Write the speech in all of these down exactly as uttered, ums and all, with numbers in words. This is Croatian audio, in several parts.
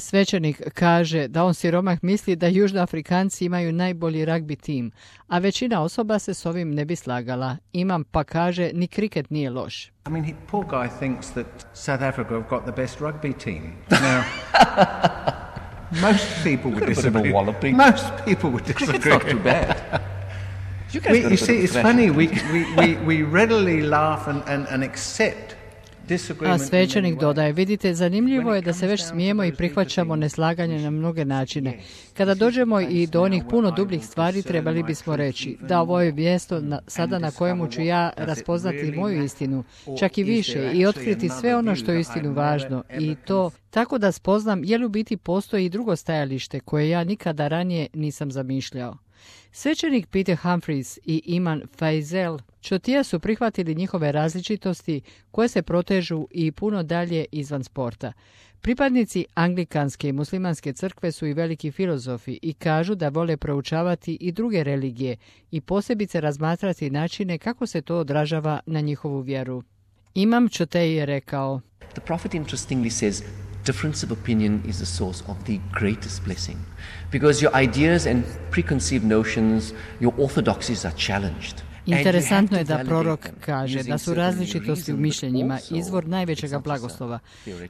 Svećenik kaže da on siromah misli da Južnoafrikanci imaju najbolji ragbi tim, a većina osoba se s ovim ne bi slagala. Imam pa kaže ni kriket nije loš. I mean, he, poor guy thinks that South Africa have got the best rugby team. Now, most people would disagree. Most people would disagree. It's not too bad. You, we, you see, it's funny, we, we, we, we readily laugh and, and, and accept. A svećenik dodaje, vidite, zanimljivo je da se već smijemo i prihvaćamo neslaganje na mnoge načine. Kada dođemo i do onih puno dubljih stvari, trebali bismo reći da ovo je mjesto na, sada na kojemu ću ja raspoznati moju istinu, čak i više, i otkriti sve ono što je istinu važno. I to tako da spoznam je li u biti postoji i drugo stajalište koje ja nikada ranije nisam zamišljao. Svećenik Peter Humphreys i Iman Faisal Čotija su prihvatili njihove različitosti koje se protežu i puno dalje izvan sporta. Pripadnici anglikanske i muslimanske crkve su i veliki filozofi i kažu da vole proučavati i druge religije i posebice razmatrati načine kako se to odražava na njihovu vjeru. Imam Čotej je rekao: The prophet interestingly says difference of opinion is the source of the greatest blessing, because your ideas and preconceived notions, your orthodoxies are challenged. Interesantno je da prorok kaže da su različitosti u mišljenjima izvor najvećega blagoslova.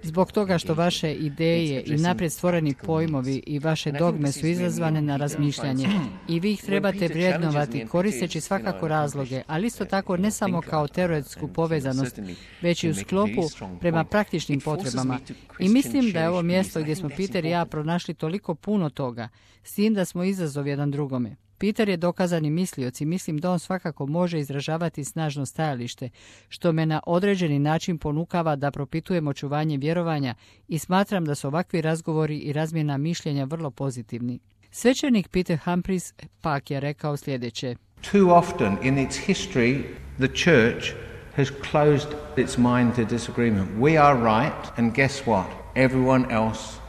Zbog toga što vaše ideje i naprijed stvoreni pojmovi i vaše dogme su izazvane na razmišljanje i vi ih trebate vrijednovati koristeći svakako razloge, ali isto tako ne samo kao teoretsku povezanost, već i u sklopu prema praktičnim potrebama. I mislim da je ovo mjesto gdje smo Peter i ja pronašli toliko puno toga, s tim da smo izazov jedan drugome. Peter je dokazani mislioc i mislim da on svakako može izražavati snažno stajalište, što me na određeni način ponukava da propitujem očuvanje vjerovanja i smatram da su ovakvi razgovori i razmjena mišljenja vrlo pozitivni. Svećenik Peter Humphreys pak je rekao sljedeće: Too often in its history the church has closed its mind to disagreement. We are right and guess what? Everyone else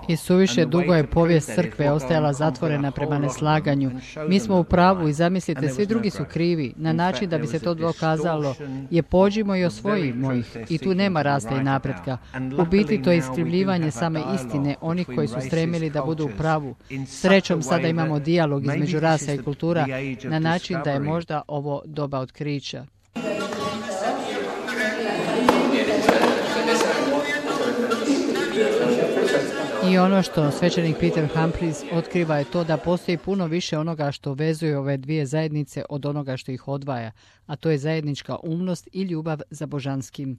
I suviše dugo je povijest crkve ostajala zatvorena prema neslaganju. Mi smo u pravu i zamislite, svi drugi su krivi. Na način da bi se to dokazalo je pođimo i osvojimo ih. I tu nema rasta i napretka. U biti to je iskrivljivanje same istine onih koji su stremili da budu u pravu. Srećom sada imamo dijalog između rasa i kultura na način da je možda ovo doba otkrića. I ono što svećenik Peter Humphreys otkriva je to da postoji puno više onoga što vezuje ove dvije zajednice od onoga što ih odvaja, a to je zajednička umnost i ljubav za božanskim.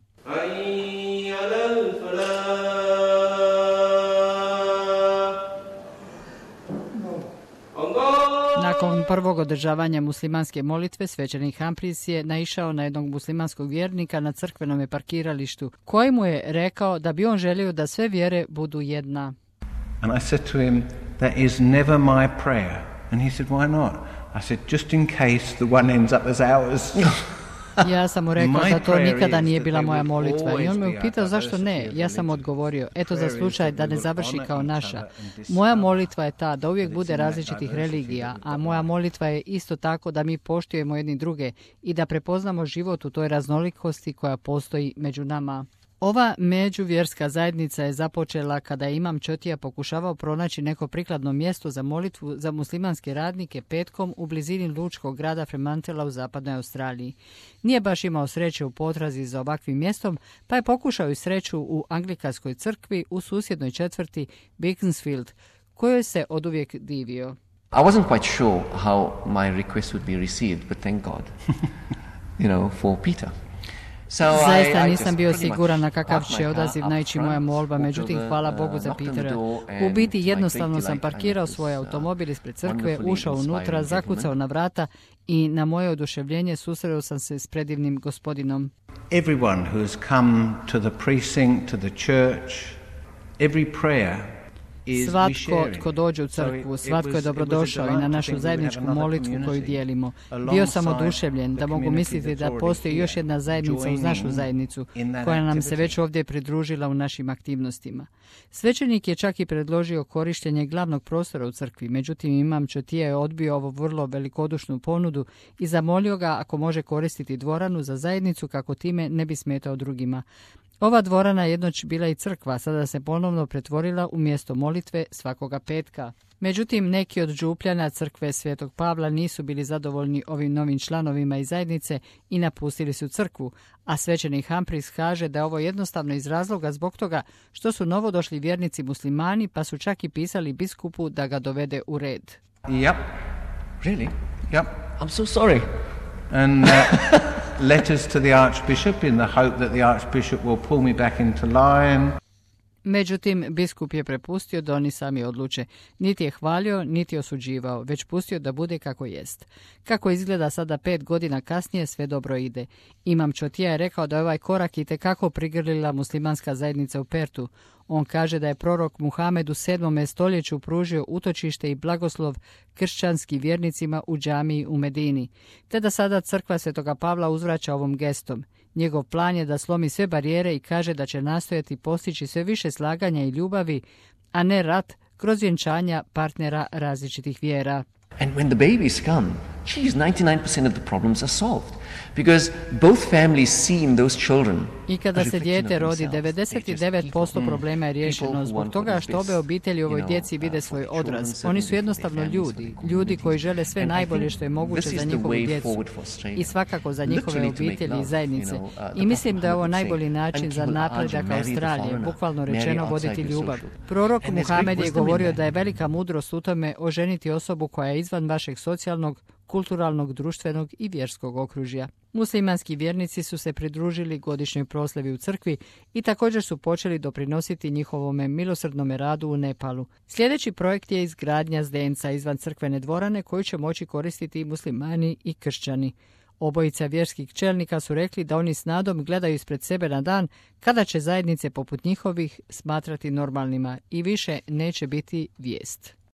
Nakon prvog održavanja muslimanske molitve, svećenik Humphreys je naišao na jednog muslimanskog vjernika na crkvenom parkiralištu, koji mu je rekao da bi on želio da sve vjere budu jedna. And I said to him, that is never my prayer. And he said, why not? I said, just in case the one ends up as ours. Ja sam mu rekao da to nikada nije bila moja molitva i on me upitao zašto ne. Ja sam odgovorio, eto za slučaj da ne završi kao naša. Moja molitva je ta da uvijek bude različitih religija, a moja molitva je isto tako da mi poštujemo jedni druge i da prepoznamo život u toj raznolikosti koja postoji među nama. Ova međuvjerska zajednica je započela kada je imam Čotija pokušavao pronaći neko prikladno mjesto za molitvu za muslimanske radnike petkom u blizini lučkog grada Fremantela u zapadnoj Australiji. Nije baš imao sreće u potrazi za ovakvim mjestom, pa je pokušao i sreću u anglikanskoj crkvi u susjednoj četvrti Beaconsfield, kojoj se oduvijek divio. I wasn't quite sure how my request would be received, but thank God, you know, for Peter. Zaista nisam bio siguran na kakav će odaziv naići moja molba, međutim hvala Bogu za Petera. U biti jednostavno sam parkirao svoj automobil ispred crkve, ušao unutra, zakucao na vrata i na moje oduševljenje susreo sam se s predivnim gospodinom. Everyone who has come to the precinct, to the church, every prayer. Svatko tko dođe u crkvu, svatko je dobrodošao i na našu zajedničku molitvu koju dijelimo. Bio sam oduševljen da mogu misliti da postoji još jedna zajednica uz našu zajednicu, koja nam se već ovdje pridružila u našim aktivnostima. Svećenik je čak i predložio korištenje glavnog prostora u crkvi, međutim imam Čotija je odbio ovu vrlo velikodušnu ponudu i zamolio ga ako može koristiti dvoranu za zajednicu kako time ne bi smetao drugima. Ova dvorana jednoć bila i crkva, sada se ponovno pretvorila u mjesto molitve svakoga petka. Međutim, neki od župljana crkve Svetog Pavla nisu bili zadovoljni ovim novim članovima iz zajednice i napustili su crkvu, a svećenik Humphreys kaže da je ovo jednostavno iz razloga zbog toga što su novodošli vjernici muslimani, pa su čak i pisali biskupu da ga dovede u red. Yep. Really? Yep. I'm so sorry. And uh, letters to the Archbishop in the hope that the Archbishop will pull me back into line. Međutim, biskup je prepustio da oni sami odluče. Niti je hvalio, niti osuđivao, već pustio da bude kako jest. Kako izgleda sada pet godina kasnije, sve dobro ide. Imam Čotija je rekao da je ovaj korak itekako prigrlila muslimanska zajednica u Pertu. On kaže da je prorok Muhamed u sedmom stoljeću pružio utočište i blagoslov kršćanskim vjernicima u džamiji u Medini, te da sada crkva Svetoga Pavla uzvraća ovom gestom. Njegov plan je da slomi sve barijere i kaže da će nastojati postići sve više slaganja i ljubavi, a ne rat kroz vjenčanja partnera različitih vjera. And when the babies come, geez, ninety-nine percent of the problems are solved. Because both families see in those children. I kada se dijete rodi, devedeset devet posto problema je riješeno zbog toga što obe obitelji u ovoj djeci vide svoj odraz. Oni su jednostavno ljudi, ljudi koji žele sve najbolje što je moguće za njihovu djecu i svakako za njihove obitelji i zajednice. I mislim da je ovo najbolji način za napredak Australije, bukvalno rečeno voditi ljubav. Prorok Muhamed je govorio da je velika mudrost u tome oženiti osobu koja je izvan vašeg socijalnog, kulturalnog, društvenog i vjerskog okružja. Muslimanski vjernici su se pridružili godišnjoj proslavi u crkvi i također su počeli doprinositi njihovome milosrdnome radu u Nepalu. Sljedeći projekt je izgradnja zdenca izvan crkvene dvorane koju će moći koristiti i muslimani i kršćani. Obojica vjerskih čelnika su rekli da oni s nadom gledaju ispred sebe na dan kada će zajednice poput njihovih smatrati normalnima i više neće biti vijest.